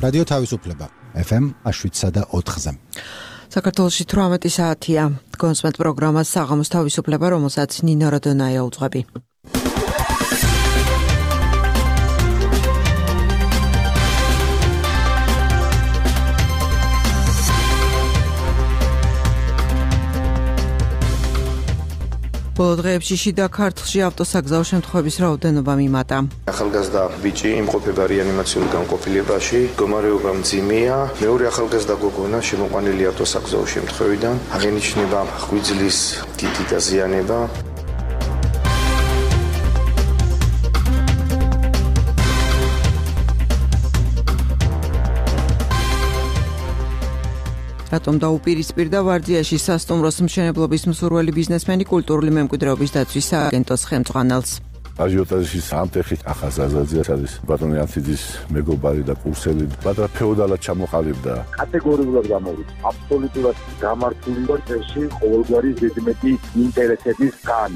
რადიო თავისუფლება FM 7.4-ზე. საქართველოში 18 საათია. გონსმენთ პროგრამას საღამოს თავისუფლება, რომელსაც ნინო როდონაია უძღვები. ბოლო დღეებში შიდა ქართლში ავტოსაგზაო შემთხვევების რაოდენობა მიმატა. ახალგაზრდა ბიჭი იმყოფება რეანიმაციულ განყოფილებაში, მდგომარეობა მძიმეა. მეორე ახალგაზრდა გოგონა შემოყვანილი ავტოსაგზაო შემთხვევიდან, აღინიშნება ღვიძლის დიდი დაზიანება. რატომ დაუპირისპირდა ვარძიაში სასტუმროს მშენებლობის მსურველი ბიზნესმენი კულტურული მემკვიდრეობის დაცვის სააგენტოს ხელმძღვანელს. აჟიოტაჟის ამტეხი ახაზაზაძე არის ბატონი ანციძის მეგობარი და კურსელი, მაგრამ ფეოდალად ჩამოყალიბდა. კატეგორიულად გამოვიდა. აბსოლუტურად გამართული ვარ წესში ყოველგვარი ზედმეტი ინტერესების გან.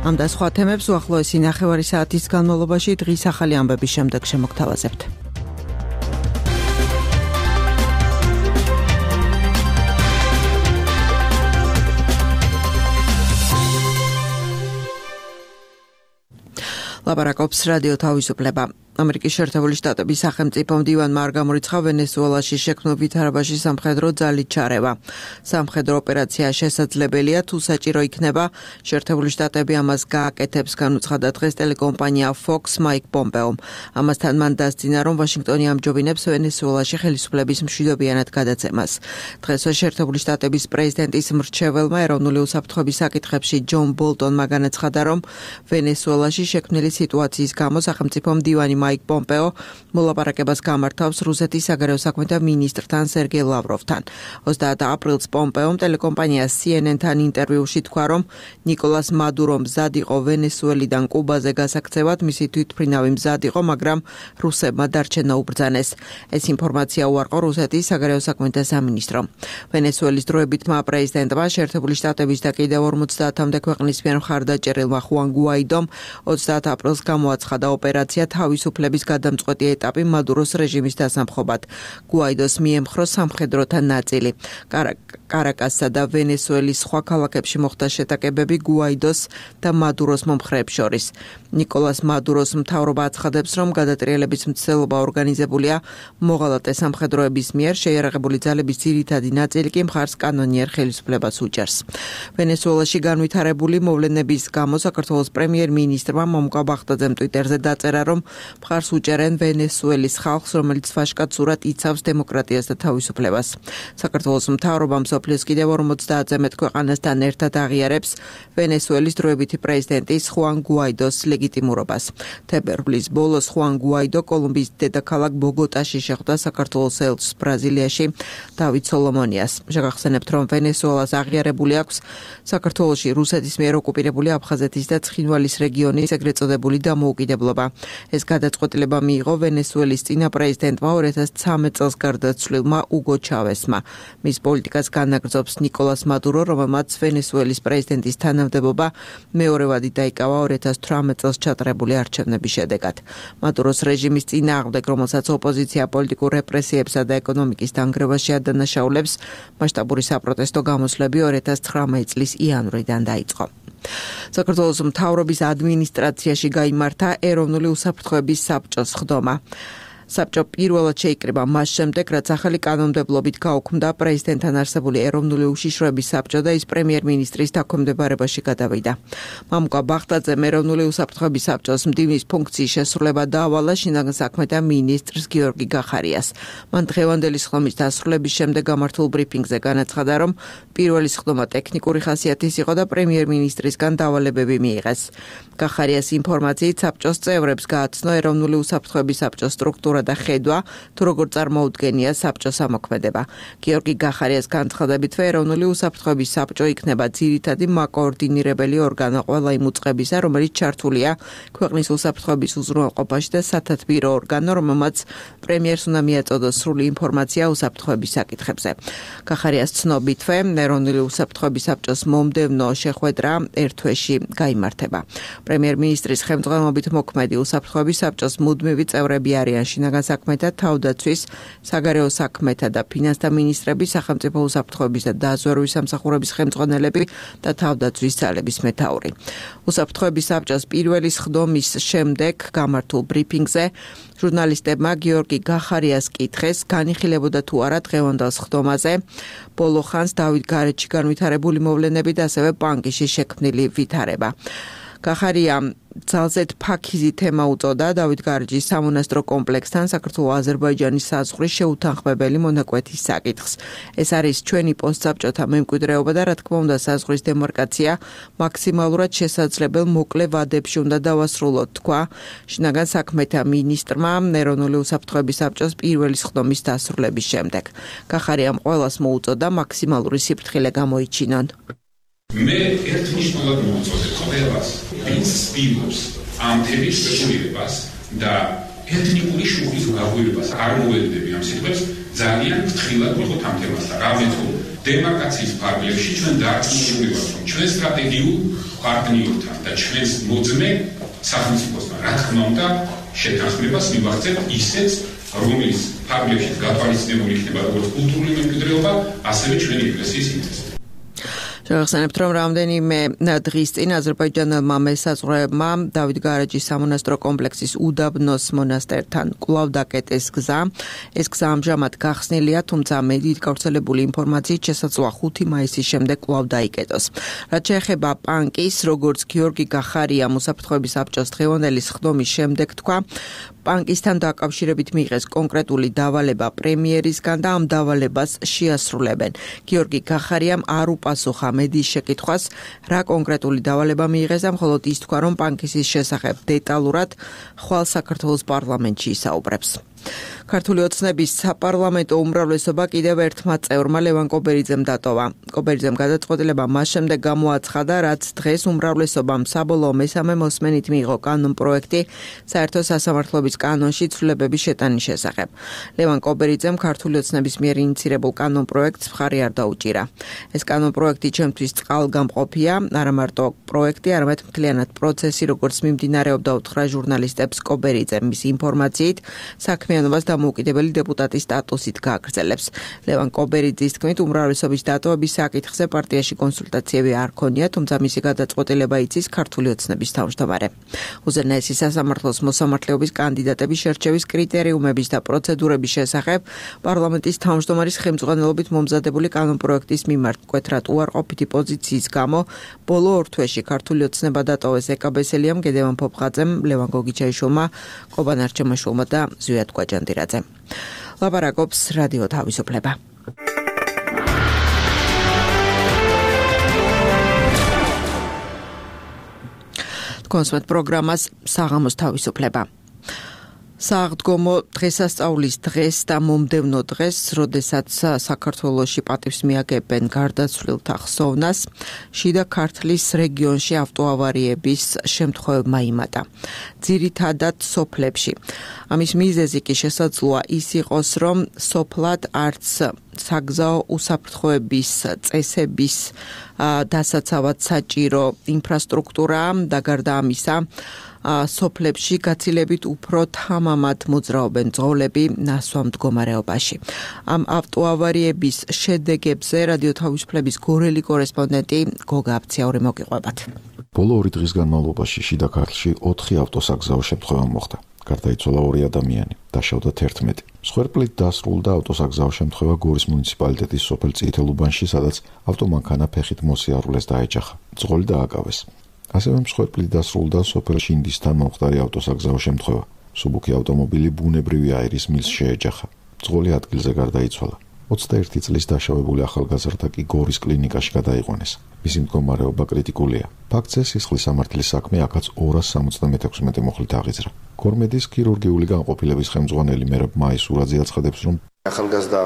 ამ და სხვა თემებს უახლოესი ნახევარი საათის განმავლობაში დღის ახალი ამბების შემდეგ შემოგთავაზებთ. ლაპარაკობს რადიო თავისუფლება. ამერიკის შეერთებული შტატების სახელმწიფო მდივანმა არ გამორიცხა ვენესუელაში შექმნილ ვითარებაში სამხედრო ძალით ჩარევა. სამხედრო ოპერაცია შესაძლებელია, თუ საჭირო იქნება, შეერთებული შტატები ამას გააკეთებს, განუცხადა დღეს ტელეკომპანია Fox Mike Pompeo. ამასთან მან დასძინა, რომ ვაშინგტონი ამჯობინებს ვენესუელაში ხელისუფლების მშვიდობიანად გადაცემას. დღეს შეერთებული შტატების პრეზიდენტის მრჩეველმა ეროვნული უსაფრთხოების საკითხებში ჯონ ბოლტონმა განაცხადა, რომ ვენესუელაში შექმნილი სიტუაციის გამო სახელმწიფო მდივანი Mike Pompeo მოლაპარაკებას გამართავს რუსეთის საგარეო საქმეთა მინისტრთან სერგეი ლავროვთან. 30 აპრილს Pompeo ტელეკომპანია CNN-თან ინტერვიუში თქვა, რომ ნიკოლას მადურო მზად იყო ვენესუელიდან კუბაზე გასაქცევად, მისი თვითმფრინავი მზად იყო, მაგრამ რუსებმა დარჩენა უბრძანეს. ეს ინფორმაცია უარყო რუსეთის საგარეო საქმეთა სამინისტრომ. ვენესუელის დროებითმა პრეზიდენტმა შეერთებული შტატების და კიდევ 50-მდე ქვეყნის მიერ მხარდაჭერილმა ხუან გუაიდომ 30 აპრილს გამოაცხადა ოპერაცია თავისუფლების გადამწყვეტი ეტაპი მადუროს რეჟიმის დასამხობად. გუაიდოს მიემხრო სამხედროთა ნაწილი. კარაკასსა და ვენესუელის სხვა ქალაქებში მოხდა შეტაკებები გუაიდოს და მადუროს მომხრეებს შორის. ნიკოლას მადუროს მთავრობა აცხადებს, რომ გადატრიალების მცდელობა ორგანიზებულია მოღალატე სამხედროების მიერ, შეიარაღებული ძალების ძირითადი ნაწილი კი მხარს კანონიერ ხელისუფლებას უჭერს. ვენესუელაში განვითარებული მოვლენების გამო საქართველოს პრემიერ-მინისტრმა მომკა ბახტაძემ ტვიტერზე დაწერა, რომ მხარს უჭერენ ვენესუელის ხალხს, რომელიც ფაშკაცურად იცავს დემოკრატიას და თავისუფლებას. საქართველოს მთავრობა მსოფლიოს კიდევ 50-ზე მეტ ქვეყანასთან ერთად აღიარებს ვენესუელის დროებითი პრეზიდენტის ხუან გუაიდოს ლეგიტიმურობას. თებერვლის ბოლოს ხუან გუაიდო კოლუმბიის დედაქალაქ ბოგოტაში შეხვდა საქართველოს ელჩს ბრაზილიაში დავით სოლომონიას. შეგახსენებთ, რომ ვენესუელას აღიარებული აქვს საქართველოში რუსეთის მიერ ოკუპირებული აფხაზეთის და ცხინვალის რეგიონის ეგრეთ წოდებული დამოუკიდებლობა. ეს გადაწყვეტილება მიიღო ვენესუელის წინა პრეზიდენტმა 2013 წელს გარდაცვლილმა უგო ჩავესმა. მის პოლიტიკას განაგრძობს ნიკოლას მადურო, რომელმაც ვენესუელის პრეზიდენტის თანამდებობა მეორევადი დაიკავა 2018 წელს ჩატარებული არჩევნების შედეგად. მადუროს რეჟიმის წინააღმდეგ, რომელსაც ოპოზიცია პოლიტიკურ რეპრესიებსა და ეკონომიკის დანგრევაში ადანაშაულებს, მასშტაბური საპროტესტო გამოსვლები 2019 წლის იანვრიდან დაიწყო. საქართველოს მთავრობის ადმინისტრაციაში გაიმართა ეროვნული უსაფრთხოების საბჭოს ხდომა. საბჭო პირველად შეიკრიბა მას შემდეგ, რაც ახალი კანონმდებლობით გაუქმდა პრეზიდენტთან არსებული ეროვნული უშიშროების საბჭო და ის პრემიერ-მინისტრის დაქვემდებარებაში გადავიდა. მამუკა ბახტაძემ ეროვნული უსაფრთხოების საბჭოს მდივნის ფუნქციის შესრულება დაავალა შინაგან საქმეთა მინისტრს გიორგი გახარიას. მან დღევანდელი სხდომის დასრულების შემდეგ გამართულ ბრიფინგზე განაცხადა, რომ პირველი სხდომა ტექნიკური ხასიათის იყო და პრემიერ-მინისტრისგან დავალებები მიიღეს. კახარიას ინფორმაციით საბჭოს წევრებს გააცნო ეროვნული უსაფრთხოების საბჭოს სტრუქტურა და ხედვა, თუ როგორ წარმოუდგენია საბჭოს ამოქმედება. გიორგი კახარიას განცხადებითვე ეროვნული უსაფრთხოების საბჭო იქნება ძირითადი მაკოორდინირებელი ორგანო ყველა იმ უწყებისა, რომელიც ჩართულია ქვეყნის უსაფრთხოების უზრუნველყოფაში და სათათბირო ორგანო, რომელმაც პრემიერს უნდა მიაწოდოს სრული ინფორმაცია უსაფრთხოების საკითხებზე. კახარიას ცნობითვე ეროვნული უსაფრთხოების საბჭოს მომდევნო შეხვედრა ერთ თვეში გაიმართება. პრემიერ-მინისტრის ხელმძღვანელობით მოქმედი უსაფრთხოების საბჭოს მუდმივი წევრები არიან შინაგან საქმეთა, თავდაცვის, საგარეო საქმეთა და ფინანსთა მინისტრები, სახელმწიფო უსაფრთხოების და დაზვერვის სამსახურების ხელმძღვანელები და თავდაცვის ძალების მეთაური. უსაფრთხოების საბჭოს პირველი სხდომის შემდეგ გამართულ ბრიფინგზე ჟურნალისტებმა გიორგი კახარიას კითხეს, განიხილებოდა თუ არა დღევანდელ სხდომაზე ბოლო ხანს დავით გარეჯში განვითარებული მოვლენები და ასევე ბანკში შექმნილი ვითარება. კახარიამ ძალზედ ფაქიზი თემა უწოდა დავით გარეჯის სამონასტრო კომპლექსთან საქართველო-აზერბაიჯანის საზღვრის შეუთანხმებელი მონაკვეთის საკითხს. ეს არის ჩვენი პოსტსაბჭოთა მემკვიდრეობა და რა თქმა უნდა საზღვრის დემარკაცია მაქსიმალურად შესაძლებელ მოკლე ვადებში უნდა დავასრულოთ, თქვა შინაგან საქმეთა მინისტრმა ეროვნული უსაფრთხოების საბჭოს პირველი სხდომის დასრულების შემდეგ. კახარიამ ყველას მოუწოდა მაქსიმალური სიფრთხილე გამოიჩინონ. მე ერთნიშნულად მოვუწოდებ ყველას, ვინც ცდილობს ამ თემის რეგულირებას და ეთნიკური შუქის გაღვივებას არ მოედნები ამ სიტყვებს, ძალიან ფრთხილად ვიყოთ ამ თემასთან. რამეთ რომ დემარკაციის ფარგლებში ჩვენ დაარწმუნებული ვართ, რომ ჩვენ სტრატეგიულ პარტნიორთან და ჩვენს მოძმე სახელმწიფოსთან, რა თქმა უნდა, შეთანხმებას მივახცევთ ისეც, რომლის ფარგლებში გათვალისწინებული იქნება როგორც კულტურული მემკვიდრეობა, ასევე ჩვენი ეკლესიის ინტერესები. შევახსენებთ, რომ რამდენიმე დღის წინ აზერბაიჯანელმა მესაზღვრეებმა დავით გარეჯის სამონასტრო კომპლექსის უდაბნოს მონასტერთან კვლავ დაკეტეს გზა. ეს გზა ამჟამად გახსნილია, თუმცა მედიით გავრცელებული ინფორმაციით შესაძლოა 5 მაისის შემდეგ კვლავ დაიკეტოს. რაც შეეხება პანკის, როგორც გიორგი კახარიამ უსაფრთხოების საბჭოს დღევანდელი სხდომის შემდეგ თქვა, პანკისთან დაკავშირებით მიიღეს კონკრეტული დავალება პრემიერისგან და ამ დავალებას შეასრულებენ. გიორგი კახარიამ არ უპასუხა მედიის შეკითხვას, რა კონკრეტული დავალება მიიღეს, მხოლოდ ის თქვა, რომ პანკისის შესახებ დეტალურად ხვალ საქართველოს პარლამენტში ისაუბრებს. ქართული ოცნების საპარლამენტო უმრავლესობა კიდევ ერთმა წევრმა ლევან კობერიძემ დატოვა. კობერიძემ გადაწყვეტილება მას შემდეგ გამოაცხადა, რაც დღეს უმრავლესობამ საბოლოო მესამე მოსმენით მიიღო კანონპროექტი საერთო სასამართლოების კანონში ცვლილებების შეტანის შესახებ. ლევან კობერიძემ ქართული ოცნების მიერ ინიცირებულ კანონპროექტს მხარი არ დაუჭირა. ეს კანონპროექტი ჩემთვის წყალგამყოფია, არა მარტო პროექტი, არამედ მთლიანად პროცესი, როგორც მიმდინარეობდა უთხრა ჟურნალისტებს კობერიძემ მის ინფორმაციით, საქმიანობას დამოუკიდებელი დეპუტატის სტატუსით გააგრძელებს. ლევან კობერიძის თქმით, უმრავლესობის დატოვების საკითხზე პარტიაში კონსულტაციები არ ქონია, თუმცა მისი გადაწყვეტილება იცის ქართული ოცნების თავმჯდომარე. უზენაესი სასამართლოს მოსამართლეობის კანდიდატების შერჩევის კრიტერიუმების და პროცედურების შესახებ პარლამენტის თავმჯდომარის ხელმძღვანელობით მომზადებული კანონპროექტის მიმართ მკვეთრად უარყოფითი პოზიციის გამო ბოლო ორ თვეში ქართული ოცნება დატოვეს ეკაბესელიამ, გედევან ფოფხაძემ, ლევან გოგიჩაიშვილმა, ყობან არჩემაშვილმა და ზვიად კვაჯანდირაძე. ლაპარაკობს რადიო თავისუფლება. კონსვეთ პროგრამას საღამოს თავისუფლება. სააღდგომო დღესასწაულის დღეს და მომდევნო დღეს, როდესაც საქართველოში პატივს მიაგებენ გარდაცვლილთა ხსოვნას, შიდა ქართლის რეგიონში ავტოავარიების შემთხვევებმა იმატა. ძირითადად სოფლებში. ამის მიზეზი კი შესაძლოა ის იყოს, რომ სოფლად არც საგზაო უსაფრთხოების წესების დასაცავად საჭირო ინფრასტრუქტურა და გარდა ამისა სოფლებში გაცილებით უფრო თამამად მოძრაობენ ძღოლები ნასვამ მდგომარეობაში. ამ ავტოავარიების შედეგებზე რადიო თავისუფლების გორელი კორესპონდენტი გოგა აფციური მოგიყვებათ. ბოლო 2 დღის განმავლობაში შიდა ქართლში 4 ავტოსაგზაო შემთხვევა მოხდა. გარდაიცვალა 2 ადამიანი, დაშავდა 11. მსხვერპლით დასრულდა ავტოსაგზაო შემთხვევა გორის მუნიციპალიტეტის სოფელ წითელუბანში, სადაც ავტომანქანა ფეხით მოსიარულეს დაეჯახა. ძღოლი დააკავეს. ასევე მსხვერპლით დასრულდა სოფელ შინდისთან მომხდარი ავტოსაგზაო შემთხვევა. სუბუქი ავტომობილი ბუნებრივი აირის მილს შეეჯახა. ძღოლი ადგილზე გარდაიცვალა. 21 წლის დაშავებული ახალგაზრდა კი გორის კლინიკაში გადაიყვანეს. მისი მდგომარეობა კრიტიკულია. ფაქტზე სისხლის სამართლის საქმე აქაც 276 მუხლით აღიძრა. გორმედის ქირურგიული განყოფილების ხელმძღვანელი მერაბ მაისურაძე აცხადებს, რომ ახალგაზრდა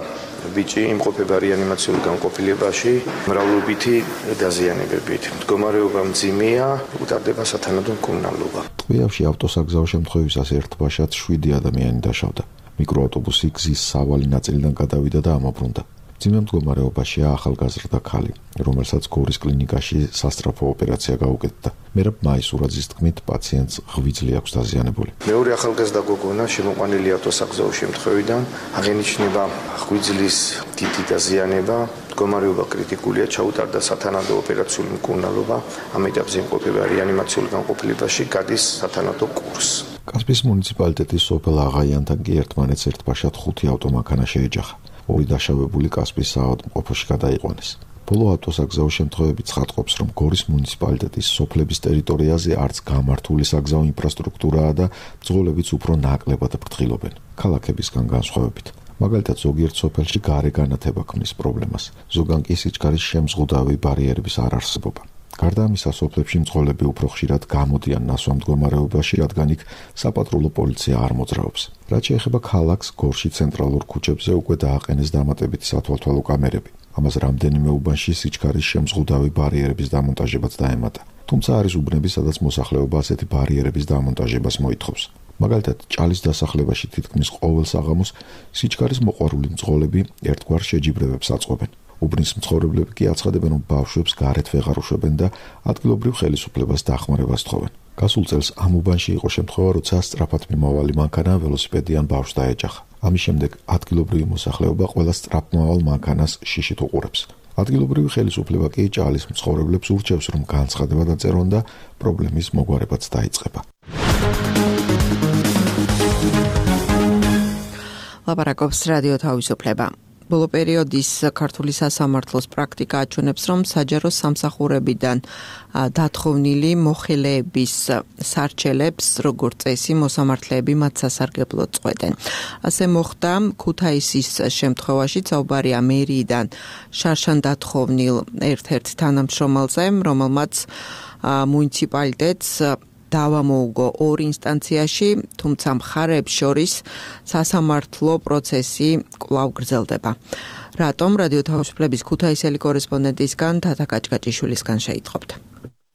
ბიჭი იმყოფება რეანიმაციულ განყოფილებაში მრავლობითი დაზიანებებით. მდგომარეობა მძიმეა, უტარდება სათანადო მკურნალობა. ტყვიავში ავტოსაგზაო შემთხვევისას ერთ ბაშად 7 ადამიანი დაშავდა. მიკროავტობუსი გზის სავალი ნაწილიდან გადავიდა და ამობრუნდა. მძიმე მდგომარეობაშია ახალგაზრდა ქალი, რომელსაც გორის კლინიკაში სასწრაფო ოპერაცია გაუკეთდა. მერაბ მაისურაძის თქმით, პაციენტს ღვიძლი აქვს დაზიანებული. მეორე ახალგაზრდა გოგონა შემოყვანილი ავტოსაგზაო შემთხვევიდან აღენიშნება ღვიძლის დიდი დაზიანება, მდგომარეობა კრიტიკულია, ჩაუტარდა სათანადო ოპერაციული მკურნალობა, ამ ეტაპზე იმყოფება რეანიმაციულ განყოფილებაში, გადის სათანადო კურსს. კასპიის მუნიციპალიტეტის სოფელ აღაიანთან კი ერთმანეთს ერთ ბაშად 5 ავტომანქანა შეეჯახა. 2 დაშავებული კასპიის საავადმყოფოში გადაიყვანეს. ბოლო ავტოსაგზაო შემთხვევები ცხადყოფს, რომ გორის მუნიციპალიტეტის სოფლების ტერიტორიაზე არც გამართული საგზაო ინფრასტრუქტურაა და მძღოლებიც უფრო ნაკლებად ფრთხილობენ, ქალაქებისგან განსხვავებით. მაგალითად, ზოგიერთ სოფელში გარე განათება ქმნის პრობლემას, ზოგან კი სიჩქარის შემზღუდავი ბარიერების არარსებობა. გარდა ამისა, სოფლებში მძღოლები უფრო ხშირად გამოდიან ნასვამ მდგომარეობაში, რადგან იქ საპატრულო პოლიცია არ მოძრაობს. რაც შეეხება ქალაქს, გორში ცენტრალურ ქუჩებზე უკვე დააყენეს დამატებითი სათვალთვალო კამერები. ამას რამდენიმე უბანში სიჩქარის შემზღუდავი ბარიერების დამონტაჟებაც დაემატა. თუმცა არის უბნები, სადაც მოსახლეობა ასეთი ბარიერების დამონტაჟებას მოითხოვს. მაგალითად, ჭალის დასახლებაში თითქმის ყოველ საღამოს სიჩქარის მოყვარული მძღოლები ერთგვარ შეჯიბრებებს აწყობენ. უბნის მცხოვრებლები კი აცხადებენ, რომ ბავშვებს გარეთ ვეღარ უშვებენ და ადგილობრივ ხელისუფლებას დახმარებას თხოვენ. გასულ წელს ამ უბანში იყო შემთხვევა, როცა სწრაფად მიმავალი მანქანა ველოსიპედიან ბავშვს დაეჯახა. ამის შემდეგ ადგილობრივი მოსახლეობა ყველა სწრაფმავალ მანქანას შიშით უყურებს. ადგილობრივი ხელისუფლება კი ჭალის მცხოვრებლებს ურჩევს, რომ განცხადება დაწერონ და პრობლემის მოგვარებაც დაიწყება. ლაპარაკობს რადიო თავისუფლება. ბოლო პერიოდის ქართული სასამართლოს პრაქტიკა აჩვენებს, რომ საჯარო სამსახურებიდან დათხოვნილი მოხელეების სარჩელებს, როგორც წესი, მოსამართლეები მათ სასარგებლოდ წყვეტენ. ასე მოხდა ქუთაისის შემთხვევაში, საუბარია მერიიდან შარშან დათხოვნილ ერთ-ერთ თანამშრომელზე, რომელმაც მუნიციპალიტეტს დავა მოუგო 2 ინსტანციაში, თუმცა მხარეებს შორის სასამართლო პროცესი კვლავ გრძელდება. რატომ? რადიო თავისუფლების ქუთაისელი კორესპონდენტისგან თათა კაჭკაჭიშვილისგან შეიტყობთ.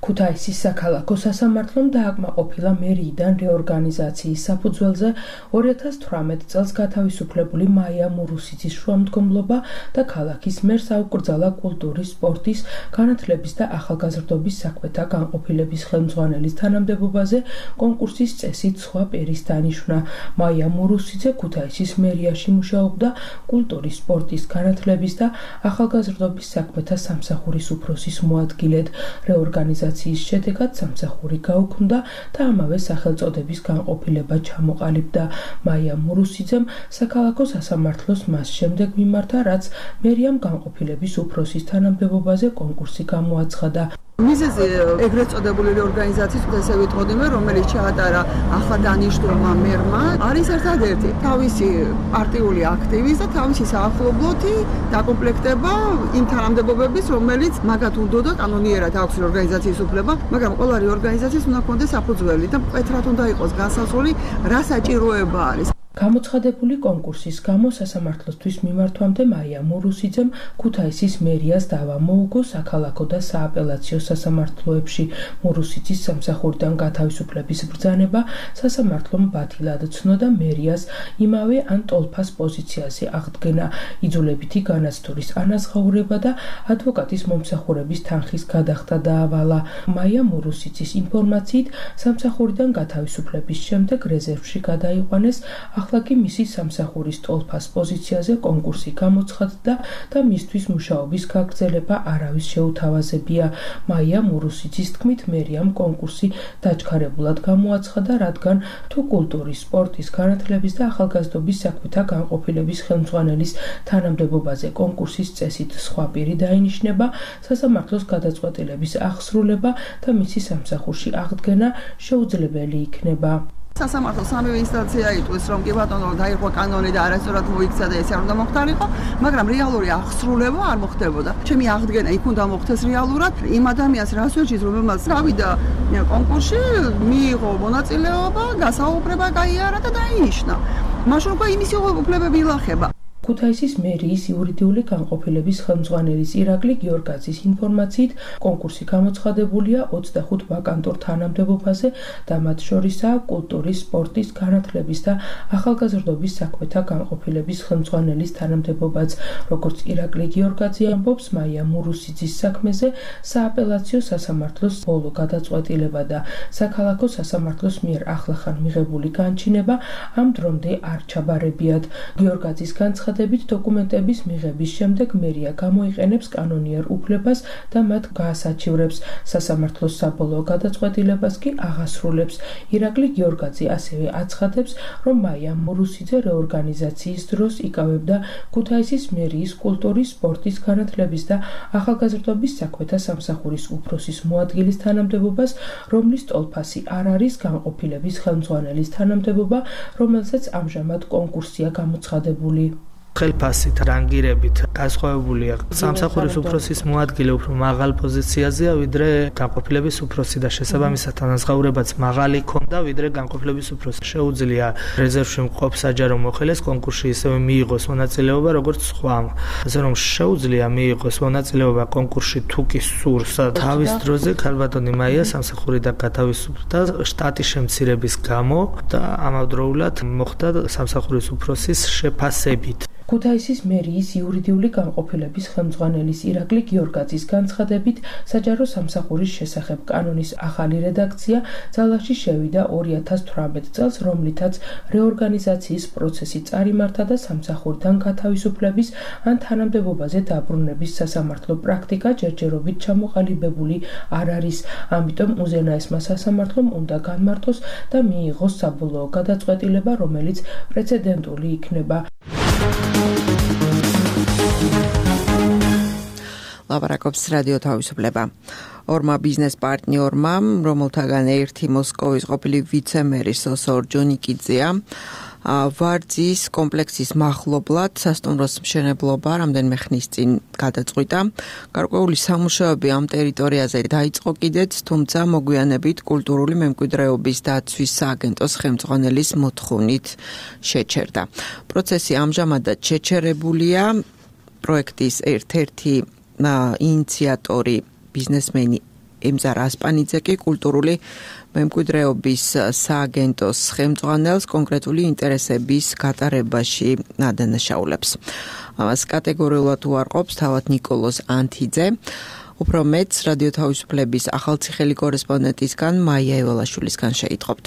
ქუთაისის საქალაქო სასამართლომ დააკმაყოფილა მერიიდან რეორგანიზაციის საფუძველზე 2018 წელს გათავისუფლებული მაია მურუსიძის შუამდგომლობა და ქალაქის მერს აუკრძალა კულტურის, სპორტის, განათლების და ახალგაზრდობის საქმეთა განყოფილების ხელმძღვანელის თანამდებობაზე კონკურსის წესით სხვა პირის დანიშვნა. მაია მურუსიძე ქუთაისის მერიაში მუშაობდა კულტურის, სპორტის, განათლების და ახალგაზრდობის საქმეთა სამსახურის უფროსის მოადგილედ. რეორგანიზაციის შედეგად სამსახური გაუქმდა და ამავე სახელწოდების განყოფილება ჩამოყალიბდა. მაია მურუსიძემ საქალაქო სასამართლოს მას შემდეგ მიმართა, რაც მერიამ განყოფილების უფროსის თანამდებობაზე კონკურსი გამოაცხადა. მიზეზი ეგრეთ წოდებული რეორგანიზაციის, ესე ვიტყოდიმე, რომელიც ჩაატარა ახლადანიშნულმა მერმა, არის ერთადერთი თავისი პარტიული აქტივის და თავისი საახლობლოთი დაკომპლექტება იმ თანამდებობების, რომელიც მაგათ უნდოდა კანონიერად აქვს რეორგანიზაციის უფლება, მაგრამ ყველა რეორგანიზაციის უნდა ჰქონდეს საფუძველი და მკვეთრად უნდა იყოს განსაზღვრული, რა საჭიროება არის. გამოცხადებული კონკურსის გამო სასამართლოსთვის მიმართვამდე მაია მურუსიძემ ქუთაისის მერიას დავა მოუგო საქალაქო და სააპელაციო სასამართლოებში. მურუსიძის სამსახურიდან გათავისუფლების ბრძანება სასამართლომ ბათილად ცნო და მერიას იმავე ან ტოლფას პოზიციაზე აღდგენა. იძულებითი განაცდურის ანაზღაურება და ადვოკატის მომსახურების თანხის გადახდა დაავალა. მაია მურუსიძის ინფორმაციით, სამსახურიდან გათავისუფლების შემდეგ რეზერვში გადაიყვანეს, ახლა კი მისი სამსახურის ტოლფას პოზიციაზე კონკურსი გამოცხადდა და მისთვის მუშაობის გაგრძელება არავის შეუთავაზებია. მაია მურუსიძის თქმით, მერიამ კონკურსი დაჩქარებულად გამოაცხადა, რადგან თუ კულტურის, სპორტის, განათლების და ახალგაზრდობის საქმეთა განყოფილების ხელმძღვანელის თანამდებობაზე კონკურსის წესით სხვა პირი დაინიშნება, სასამართლოს გადაწყვეტილების აღსრულება და მისი სამსახურში აღდგენა შეუძლებელი იქნება. სასამართლო სამივე ინსტანცია იტყვის, რომ კი ბატონო დაირღვა კანონი და არასწორად მოიქცა და ეს არ უნდა მოხდარიყო, მაგრამ რეალური აღსრულება არ მოხდებოდა. ჩემი აღდგენა იქ უნდა მოხდეს რეალურად იმ ადამიანს რას ვეჭირს, რომელმაც გავიდა კონკურსში, მიიღო მონაწილეობა, გასაუბრება გაიარა და დაინიშნა. მაშინ უკვე იმის უფლებები ილახება. ქუთაისის მერიის იურიდიული განყოფილების ხელმძღვანელის ირაკლი გიორგაძის ინფორმაციით, კონკურსი გამოცხადებულია 25 ვაკანტურ თანამდებობაზე და მათ შორისაა კულტურის, სპორტის, განათლების და ახალგაზრდობის საქმეთა განყოფილების ხელმძღვანელის თანამდებობაც. როგორც ირაკლი გიორგაძე ამბობს, მაია მურუსიძის საქმეზე სააპელაციო სასამართლოს ბოლო გადაწყვეტილება და საქალაქო სასამართლოს მიერ ახლახან მიღებული განჩინება ამ დრომდე არ ჩაბარებიათ. გიორგაძის განცხადებით, დოკუმენტების მიღების შემდეგ მერია გამოიყენებს კანონიერ უფლებას და მათ გაასაჩივრებს. სასამართლოს საბოლოო გადაწყვეტილებას კი აღასრულებს. ირაკლი გიორგაძე ასევე აცხადებს, რომ მაია მურუსიძე რეორგანიზაციის დროს იკავებდა ქუთაისის მერიის კულტურის, სპორტის, განათლების და ახალგაზრდობის საქმეთა სამსახურის უფროსის მოადგილის თანამდებობას, რომლის ტოლფასი არ არის განყოფილების ხელმძღვანელის თანამდებობა, რომელსაც ამჟამად კონკურსია გამოცხადებული. ხელფასით, რანგირებით განსხვავებულია სამსახურის უფროსის მოადგილე უფრო მაღალ პოზიციაზეა, ვიდრე განყოფილების უფროსი და შესაბამისად ანაზღაურებაც მაღალი ქონდა, ვიდრე განყოფილების უფროსი. შეუძლია რეზერვში მყოფ საჯარო მოხელეს კონკურსში ისევე მიიღოს მონაწილეობა, როგორც სხვამ. ასე რომ შეუძლია მიიღოს მონაწილეობა კონკურსში თუ კი სურს. თავის დროზე ქალბატონი მაია სამსახურიდან გათავისუფლდა შტატის შემცირების გამო და ამავდროულად მოხდა სამსახურის უფროსის შეფასებით. ქუთაისის მერიის იურიდიული განყოფილების ხელმძღვანელის ირაკლი გიორგაძის განცხადებით, საჯარო სამსახურის შესახებ კანონის ახალი რედაქცია ძალაში შევიდა 2018 წელს, რომლითაც რეორგანიზაციის პროცესი წარიმართა და სამსახურიდან გათავისუფლების ან თანამდებობაზე დაბრუნების სასამართლო პრაქტიკა ჯერჯერობით ჩამოყალიბებული არ არის. ამიტომ უზენაესმა სასამართლომ უნდა განმარტოს და მიიღოს საბოლოო გადაწყვეტილება, რომელიც პრეცედენტული იქნება. ლაპარაკობს რადიო თავისუფლება. ორმა ბიზნეს პარტნიორმა, რომელთაგან ერთი მოსკოვის ყოფილი ვიცე-მერი სოსო ორჯონიკიძეა, ვარძის კომპლექსის მახლობლად სასტუმროს მშენებლობა რამდენიმე ხნის წინ გადაწყვიტა. გარკვეული სამუშაოები ამ ტერიტორიაზე დაიწყო კიდეც, თუმცა მოგვიანებით კულტურული მემკვიდრეობის დაცვის სააგენტოს ხელმძღვანელის მოთხოვნით შეჩერდა. პროცესი ამჟამადაც შეჩერებულია. პროექტის ერთ-ერთი ინიციატორი ბიზნესმენი ემზარ ასპანიძე კი კულტურული მემკვიდრეობის სააგენტოს ხელმძღვანელს კონკრეტული ინტერესების გატარებაში ადანაშაულებს. ამას კატეგორიულად უარყოფს თავად ნიკოლოზ ანთიძე. უფრო მეტს რადიო თავისუფლების ახალციხელი კორესპონდენტისგან მაია ევალაშვილისგან შეიტყობთ.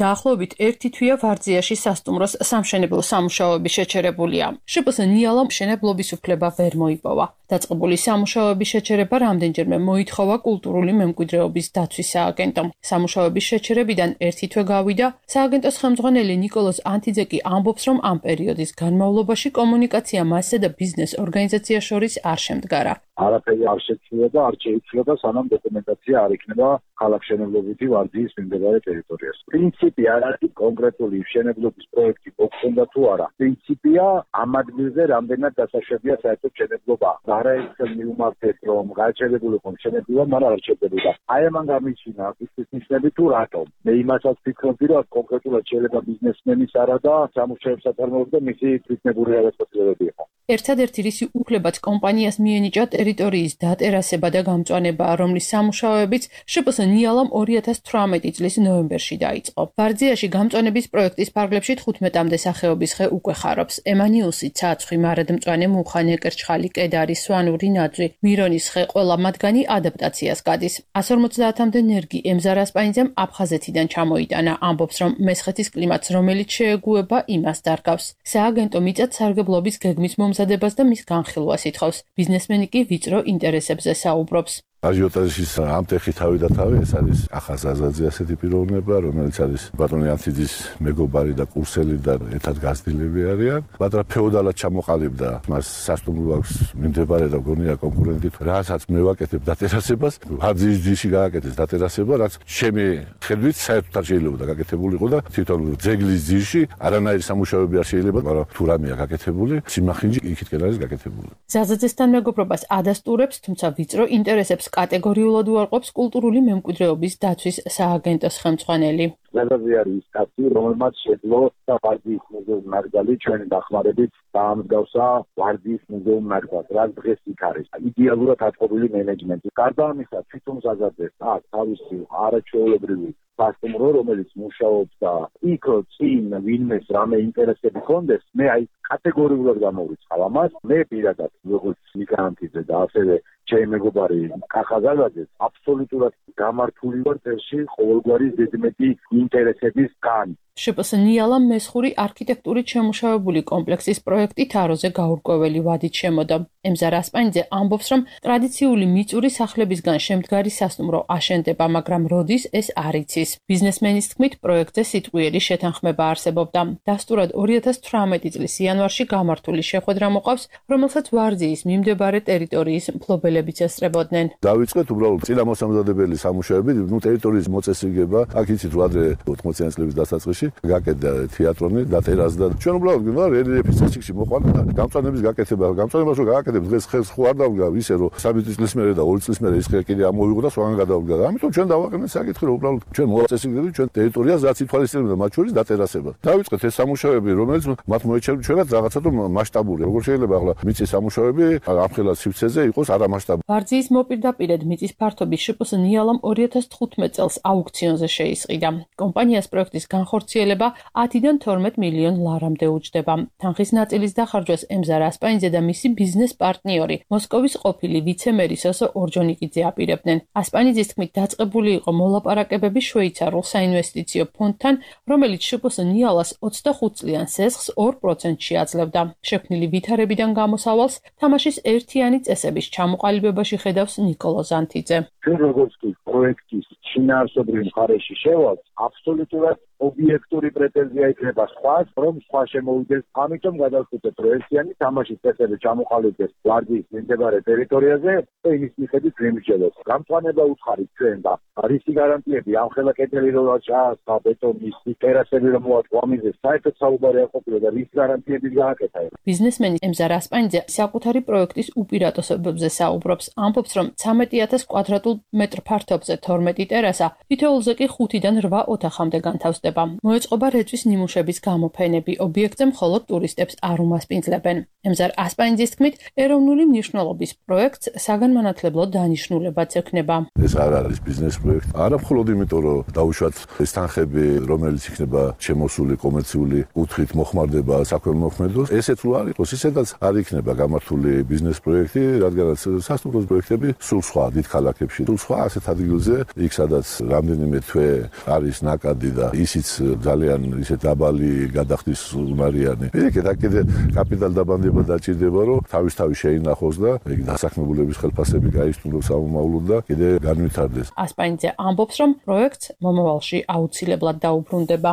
დაახლოებით 1 თვეა ვარძიაში სასტუმროს სამშენებლო სამუშაოები შეჩერებულია. შპს ნიალა მშენებლობის უფლება ვერ მოიპოვა. დაწყებული სამუშაოების შეჩერება რამდენჯერმე მოითხოვა კულტურული მემკვიდრეობის დაცვის სააგენტომ. სამუშაოების შეჩერებიდან 1 თვე გავიდა. სააგენტოს ხელმძღვანელი ნიკოლოზ ანთიძე კი ამბობს, რომ ამ პერიოდის განმავლობაში კომუნიკაცია მასზე და ბიზნეს ორგანიზაციას შორის არ შემდგარა. არაფერი არ შეცვლა და არ შეიცვლება, სანამ დოკუმენტაცია არ იქნება ქალაქშენებლობითი ვარძიის მიმდებარე ტერიტორიას. პრინციპი არ არის კონკრეტული მშენებლობის პროექტი მოხდა თუ არა. პრინციპია ამ ადგილზე რამდენად დასაშვებია საერთოდ მშენებლობა. არაერთხელ მიუმართეთ, რომ გაჩერებული იყო მშენებლობა, მაგრამ არ ჩერდებოდა. აი ამან გამიჩინა ის ნიშნები თუ რატომ. მე იმასაც ვფიქრობდი, რომ კონკრეტულად შეიძლება ბიზნესმენის არა და სამუშაოებს აწარმოებდა მისი თვითნებური გადაწყვეტილებები იყო. ერთადერთი რისი უფლებაც კომპანიას მიენიჭა ტერიტორიის დატერასება და გამწვანება, რომლის სამუშაოებიც შპს ნიალამ 2018 წლის ნოემბერში დაიწყო. ვარძიაში გამწვანების პროექტის ფარგლებში 15-მდე სახეობის ხე უკვე ხარობს. ემანიუსი, ცაცხვი, მარადმწვანე, მუხა, ნეკერჩხალი, კედარი, სვანური ნაძვი, მირონის ხე, ყველა მათგანი ადაპტაციას გადის. 150-მდე ნერგი ემზარ ასპანიძემ აფხაზეთიდან ჩამოიტანა. ამბობს, რომ მესხეთის კლიმატს, რომელიც შეეგუება, იმას დარგავს. სააგენტო მიწათ სარგებლობის გეგმის მომზადებას და მის განხილვას ითხოვს. ბიზნესმენი კი ვიწრო ინტერესებზე საუბრობს. აჟიოტაჟის ამ ტეხი თავი და თავი ეს არის ახაზაზაძე ასეთი პიროვნება, რომელიც არის ბატონი ანთიძის მეგობარი და კურსელი და ერთად გაზრდილები არიან. მაგრამ ფეოდალად ჩამოყალიბდა, მას სასტუმრო აქვს მიმდებარე და გონია კონკურენტი, რასაც მე ვაკეთებ დატერასებას, ვარძიის ძიში გააკეთეს დატერასება, რაც ჩემი ხედვით საერთოდ არ შეიძლება გაკეთებულიყო და თვითონ ძეგლის ძიში არანაირი სამუშაოები არ შეიძლება, მაგრამ თუ რამეა გაკეთებული, სიმახინჯი იქითკენ არის გაკეთებული. ზაზაძესთან მეგობრობას ადასტურებს, თუმცა ვიწრო ინტერესებს კატეგორიულად უარყოფს კულტურული მემკვიდრეობის დაცვის სააგენტოს ხელმძღვანელი. ზაზაძე არის კაცი, რომელმაც შეძლო ვარძიის მუზეუმის ნაკრძალი ჩვენი დახმარებით დაამსგავსა ვარძიის მუზეუმის ნაკრძალს, რაც დღეს იქ არის. იდეალურად აწყობილი მენეჯმენტი. გარდა ამისა, თვითონ ზაზაძეს აქვს თავისი არაჩვეულებრივი სასტუმრო, რომელიც მუშაობს და იქ წინ ვინმეს რამე ინტერესები ჰქონდეს, მე აი კატეგორიულად გამოვიწყავ ამას. მე პირადად როგორც მიგრანტიზე და ასევე ჩემი მეგობარი კახაზაძეც აბსოლუტურად გამართული ვარ წელში ყოველგვარი ზედმეტი ინტერესებისგან. შპს ნიალამ მესხური არქიტექტურით შემუშავებული კომპლექსის პროექტი თაროზე გაურკვეველი ვადით შემოდა. ემზარ ასპანიძე ამბობს, რომ ტრადიციული მიწური სახლებისგან შემდგარი სასტუმრო აშენდება, მაგრამ როდის ეს არ იცის. ბიზნესმენის თქმით, პროექტზე სიტყვიერი შეთანხმება არსებობდა. დასტურად 2018 წლის იანვარში გამართული შეხვედრა მოყავს, რომელსაც ვარძიის მიმდებარე ტერიტორიის მფლობელებიც ესწრებოდნენ. დავიწყეთ უბრალოდ წინამოსამზადებელი სამუშაოები, ტერიტორიის მოწესრიგება, აქ იცით ადრე 80-იანი წლების დასაწყისში გაკეთდა თეატრონი და ტერასი და ჩვენ უბრალოდ გინდა რელიეფის წესში მოყვანა და გამწვანების გაკეთება. გამწვანებას რო გააკეთებ დღეს ხელს ხო არ დავდგა ისე რომ 3 წლის მერე და 2 წლის მერე ის კიდე ამოვიღო და სხვაგან გადავდგა. ამიტომ ჩვენ დავაყენეთ საკითხი რომ უბრალოდ ჩვენ მოვაწესრიგდებით ჩვენ ტერიტორიას რაც ითვალისწინებდა მათ შორის დატერასება. დავიწყეთ ეს სამუშაოები რომელიც მათ მოეჩერებათ ჩვენაც რაღაცა თუ მასშტაბური. როგორ შეიძლება ახლა მიწის სამუშაოები ამხელა სივრცეზე იყოს არამასშტაბური. ვარძიის მოპირდაპირედ მიწის ფართობის შპს ნიალამ 2015 წელს აუქციონზე შეისყიდა. კომპანიას პროექტის განხორციელება 10-დან 12 მილიონ ლარამდე უჯდება. თანხის ნაწილის დახარჯვას ემზარ ასპანიძე და მისი ბიზნეს პარტნიორი, მოსკოვის ყოფილი ვიცე-მერი სოსო ორჯონიკიძე აპირებდნენ. ასპანიძის თქმით, დაწყებული იყო მოლაპარაკებები შვეიცარულ საინვესტიციო ფონდთან, რომელიც შპს ნიალას 25 წლიან სესხს 2%-ში აძლევდა. შექმნილი ვითარებიდან გამოსავალს თამაშის ერთიანი წესების ჩამოყალიბებაში ხედავს ნიკოლო ზანთიძე. ჩვენ როგორც კი პროექტის შინაარსობრივ მხარეში შევალთ, აბსოლუტურად ობიექტური პრეტენზია იქნება სხვას, რომ სხვა შემოვიდეს. ამიტომ გადავხდეთ პროექტიანი თამაშის წესები ჩამოყალიბდეს ვარძიის მიმდებარე ტერიტორიაზე და იმის მიხედვით ვიმსჯელოთ. გამწვანება უცხარით ჩვენ და რისი გარანტიები ამხელა კედელი რო ჩაასხა ბეტონის ტერასები რომ მოაწყო ამაზე საერთოდ საუბარი არ ყოფილა და რის გარანტიები გააკეთა. ბიზნესმენი ემზარ ასპანიძე საკუთარი პროექტის უპირატესობებზე საუბრობს. ამბობს, რომ 13,000 კვადრატულ მეტრ ფართობზე 12 ტერასა, თითოეულზე კი 5-დან 8 ოთახამდე განთავსდება. მოეწყობა რეწვის ნიმუშების გამოფენები, ობიექტზე მხოლოდ ტურისტებს არ უმასპინძლებენ. ემზარ ასპანიძის თქმით, ეროვნული მნიშვნელობის პროექტს საგანმანათლებლო დანიშნულებაც ექნება. ეს არ არის ბიზნეს პროექტი. არა მხოლოდ იმიტომ, რომ დაუშვათ ეს თანხები, რომელიც იქნება შემოსული კომერციული კუთხით მოხმარდება საქველმოქმედოს, ესეც რო არ იყოს, ისედაც არ იქნება გამართული ბიზნეს პროექტი, რადგანაც სასტუმროს პროექტები სულ სხვა დიდ ქალაქებში, სულ სხვა ასეთ ადგილზე, იქ სადაც რამდენიმე თვე არის ნაკადი და ისიც ძალიან ისე დაბალი გადახდის უნარიანი. მერე კიდე კაპიტალ დაბანდება დაჭირდება, რომ თავის შეინახოს და ეგ დასაქმებულების ხელფასები გაისტუმროს სამომავლოდ და კიდე განვითარდეს. ასპანიძე ამბობს, რომ პროექტს მომავალში აუცილებლად დაუბრუნდება.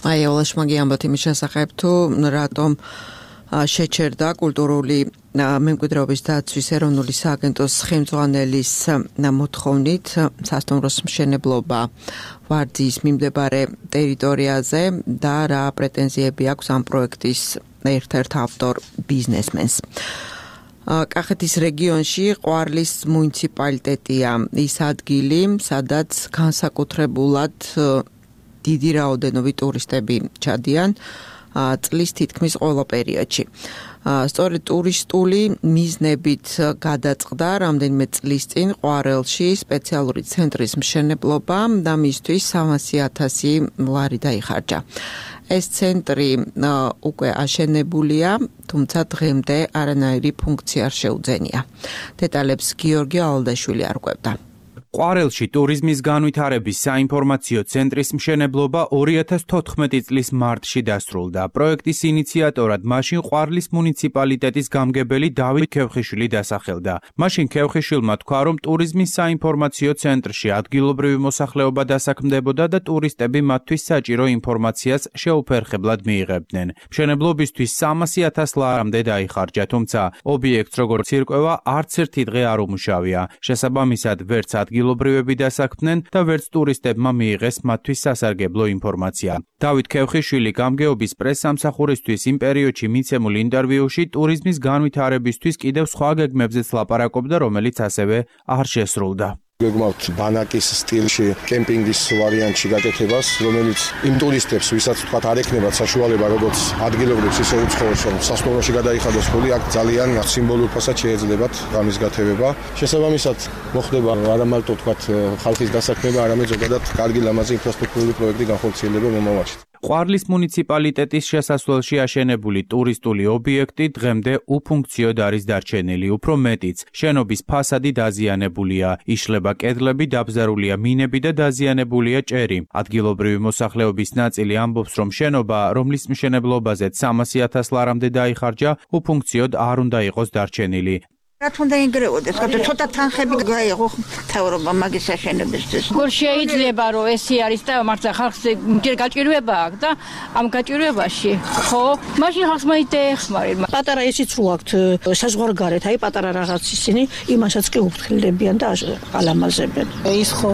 მაია ოლაშმაგი ამბობთ იმის შესახებ, თუ რატომ შეჩერდა კულტურული მემკვიდრეობის დაცვის ეროვნული სააგენტოს ხელმძღვანელის მოთხოვნით სასტუმროს მშენებლობა ვარძიის მიმდებარე ტერიტორიაზე და რა პრეტენზიები აქვს ამ პროექტის ერთ-ერთ ავტორ ბიზნესმენს. კახეთის რეგიონში ყვარლის მუნიციპალიტეტია ის ადგილი, სადაც განსაკუთრებულად დიდი რაოდენობით ტურისტები ჩადიან წლის თითქმის ყველა პერიოდში. სწორედ ტურისტული მიზნებით გადაწყდა რამდენიმე წლის წინ ყვარელში სპეციალური ცენტრის მშენებლობა და მისთვის 300,000 ლარი დაიხარჯა. ეს ცენტრი უკვე აშენებულია, თუმცა დღემდე არანაირი ფუნქცია არ შეუძენია. დეტალებს გიორგი ალდაშვილი არკვევდა. ყვარელში ტურიზმის განვითარების საინფორმაციო ცენტრის მშენებლობა 2014 წლის მარტში დასრულდა. პროექტის ინიციატორად მაშინ ყვარლის მუნიციპალიტეტის გამგებელი დავით ქევხიშვილი დასახელდა. მაშინ ქევხიშვილმა თქვა, რომ ტურიზმის საინფორმაციო ცენტრში ადგილობრივი მოსახლეობა დასაქმდებოდა და ტურისტები მათთვის საჭირო ინფორმაციას შეუფერხებლად მიიღებდნენ. მშენებლობისთვის 300,000 ლარამდე დაიხარჯა, თუმცა ობიექტს როგორც ირკვევა, არც ერთი დღე არ უმუშავია. შესაბამისად, ვერც ადგილობრივები დასაქმდნენ და ვერც ტურისტებმა მიიღეს მათთვის სასარგებლო ინფორმაცია. დავით ქევხიშვილი გამგეობის პრესსამსახურისთვის იმ პერიოდში მიცემულ ინტერვიუში ტურიზმის განვითარებისთვის კიდევ სხვა გეგმებზეც ლაპარაკობდა, რომელიც ასევე არ შესრულდა. გეგმავთ ბანაკის სტილში კემპინგის ვარიანტში გაკეთებას, რომელიც იმ ტურისტებს, ვისაც თქვათ არ ექნებათ საშუალება როგორც ადგილობრივს, ისე უცხოელს, რომ სასტუმროში გადაიხადოს ფული, აქ ძალიან სიმბოლურ ფასად შეეძლებათ ამის გათევება. შესაბამისად, მოხდება არა მარტო თქვათ ხალხის დასაქმება, არამედ ზოგადად კარგი ლამაზი ინფრასტრუქტურული პროექტი განხორციელება მომავალში. ყვარლის მუნიციპალიტეტის შესასვლელში აშენებული ტურისტული ობიექტი დღემდე უფუნქციოდ არის დარჩენილი, უფრო მეტიც, შენობის ფასადი დაზიანებულია, იშლება კედლები, დაბზარულია მინები და დაზიანებულია ჭერი. ადგილობრივი მოსახლეობის ნაწილი ამბობს, რომ შენობა, რომლის მშენებლობაზეც 300,000 ლარამდე დაიხარჯა, უფუნქციოდ არ უნდა იყოს დარჩენილი. რა თქმა ინგრეოდეს, ცოტა თანხები გაიღო მთავრობა მაგის აშენებისთვის. როგორ შეიძლება რომ ესე არის და მართლა ხალხს ჯერ გაჭირვება აქვს და ამ გაჭირვებაში, ხო? მაშინ ხალხს მაინტერესებს. პატარა ისიც რო აქვთ საზღვარგარეთ, აი პატარა რაღაც ისინი იმასაც კი უფრთხილებიან და ალამაზებენ. ის ხო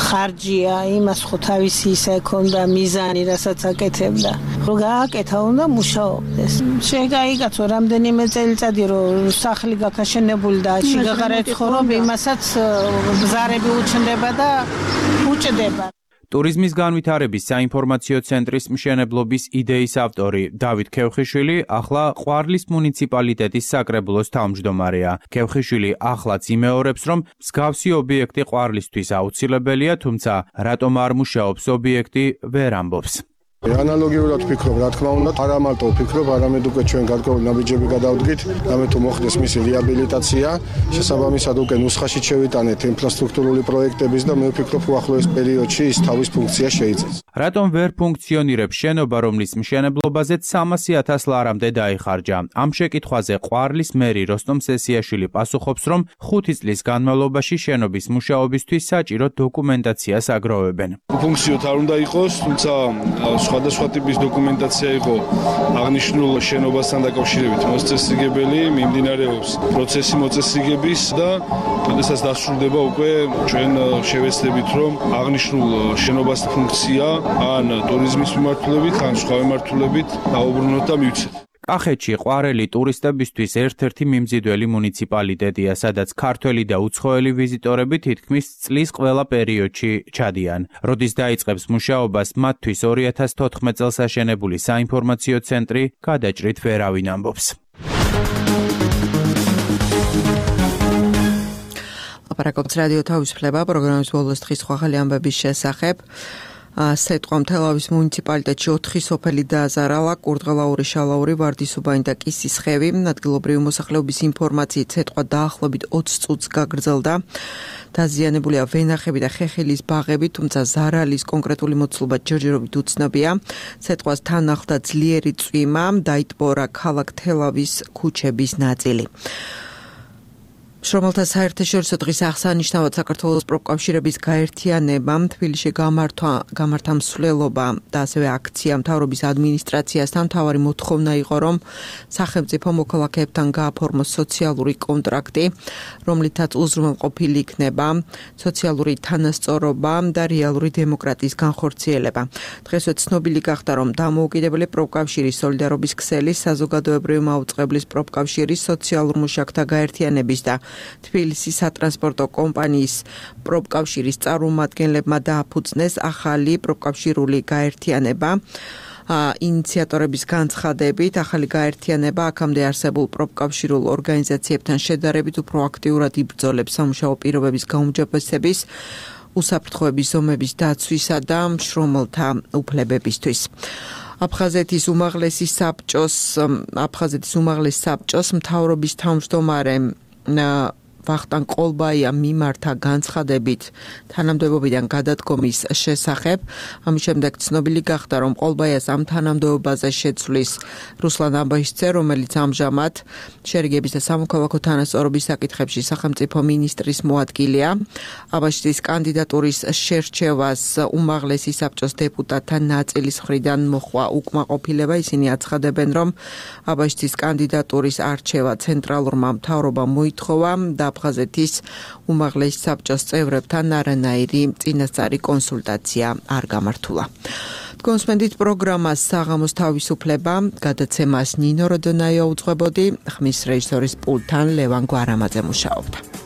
ხარჯია, იმას ხო თავისი ისა ქონდა მიზანი, რასაც აკეთებდა. რო გააკეთა უნდა მუშაობდეს. შეგაიგაცო რამდენიმე წელიწადი რომ სახლი გაქაშენებული და შეგაღარეთ ხორობ იმასაც ბზარები უჩნდება და უჭდება. ტურიზმის განვითარების საინფორმაციო ცენტრის მშენებლობის იდეის ავტორი დავით ქევხიშვილი ახლა ყვარლის მუნიციპალიტეტის საკრებულოს თავმჯდომარეა. ქევხიშვილი ახლაც იმეორებს, რომ მსგავსი ობიექტი ყვარლისთვის აუცილებელია, თუმცა რატომ არ მუშაობს ობიექტი ვერ ამბობს. ანალოგიურად ვფიქრობ, რა თქმა უნდა, არა მარტო ვფიქრობ, არამედ უკვე ჩვენ გარკვეული ნაბიჯები გადავდგით, რამე თუ მოხდეს მისი რეაბილიტაცია, შესაბამისად უკვე ნუსხაში შევიტანეთ ინფრასტრუქტურული პროექტების და მე ვფიქრობ, უახლოეს პერიოდში ის თავის ფუნქციას შეიძენს. რატომ ვერ ფუნქციონირებს შენობა, რომლის მშენებლობაზეც 300,000 ლარამდე დაიხარჯა? ამ შეკითხვაზე ყვარლის მერი როსტომ სესიაშვილი პასუხობს, რომ 5 წლის განმავლობაში შენობის მუშაობისთვის საჭირო დოკუმენტაციას აგროვებენ. ფუნქციოდ არ უნდა იყოს, თუმცა სხვადასხვა ტიპის დოკუმენტაცია იყო აღნიშნულ შენობასთან დაკავშირებით მოწესრიგებელი, მიმდინარეობს პროცესი მოწესრიგების და შესაძლოა დასრულდება უკვე ჩვენ შევეცდებით, რომ აღნიშნულ შენობას ფუნქცია ან ტურიზმის მიმართულებით, ან სხვა მიმართულებით დაუბრუნოთ და მივცეთ. კახეთში ყვარელი ტურისტებისთვის ერთ-ერთი მიმზიდველი მუნიციპალიტეტია, სადაც ქართველი და უცხოელი ვიზიტორები თითქმის წლის ყველა პერიოდში ჩადიან. როდის დაიწყებს მუშაობას მათთვის 2014 წელს აშენებული საინფორმაციო ცენტრი, გადაჭრით ვერავინ ამბობს. ლაპარაკობს რადიო თავისუფლება პროგრამის ბოლოს დღის ხვალ ამბების შესახებ. სეტყვა თელავის მუნიციპალიტეტში 4 სოფელი დააზარალა, კურდღელაური, შალაური, ვარდისუბანი და კისისხევი. ადგილობრივი მოსახლეობის ინფორმაციით სეტყვა დაახლოებით 20 წუთს გაგრძელდა. დაზიანებულია ვენახები და ხეხილის ბაღები, თუმცა ზარალის კონკრეტული მოცულობა ჯერჯერობით უცნობია. სეტყვას თან ახლდა ძლიერი წვიმა, დაიტბორა ქალაქ თელავის ქუჩების ნაწილი. შრომელთა საერთაშორისო დღის აღსანიშნავად საქართველოს პროფკავშირების გაერთიანებამ თბილისში გამართა მსვლელობა და ასევე აქცია მთავრობის ადმინისტრაციასთან. მთავარი მოთხოვნა იყო, რომ სახელმწიფო მოქალაქეებთან გააფორმოს სოციალური კონტრაქტი, რომლითაც უზრუნველყოფილი იქნება სოციალური თანასწორობა და რეალური დემოკრატიის განხორციელება. დღესვე ცნობილი გახდა, რომ დამოუკიდებელი პროფკავშირის სოლიდარობის ქსელის, საზოგადოებრივი მაუწყებლის პროფკავშირის, სოციალურ მუშაკთა გაერთიანების და თბილისის სატრანსპორტო კომპანიის პროფკავშირის წარმომადგენლებმა დააფუძნეს ახალი პროფკავშირული გაერთიანება. ინიციატორების განცხადებით, ახალი გაერთიანება აქამდე არსებულ პროფკავშირულ ორგანიზაციებთან შედარებით უფრო აქტიურად იბრძოლებს სამუშაო პირობების გაუმჯობესების, უსაფრთხოების ზომების დაცვისა და მშრომელთა უფლებებისთვის. აფხაზეთის უმაღლეს საბჭოს მთავრობის თავმჯდომარე ვახტანგ ყოლბაიამ მიმართა განცხადებით თანამდებობიდან გადადგომის შესახებ. ამის შემდეგ ცნობილი გახდა, რომ ყოლბაიას ამ თანამდებობაზე შეცვლის რუსლან აბაშიძე, რომელიც ამჟამად შერიგების და სამოქალაქო თანასწორობის საკითხებში სახელმწიფო მინისტრის მოადგილეა. აბაშიძის კანდიდატურის შერჩევას უმაღლესი საბჭოს დეპუტატთა ნაწილის მხრიდან მოხვა უკმაყოფილება. ისინი აცხადებენ, რომ აბაშიძის კანდიდატურის არჩევა ცენტრალურმა მთავრობამ მოითხოვა და აფხაზეთის უმაღლესი საბჭოს წევრებთან არანაირი წინასწარი კონსულტაცია არ გამართულა. კონსპენდით პროგრამას საღამოს თავისუფლება გადაცემას ნინო როდონაიო უძღვებოდი, ხმის რეჟისორის პულტთან ლევან გვარამაძე მუშაობდა.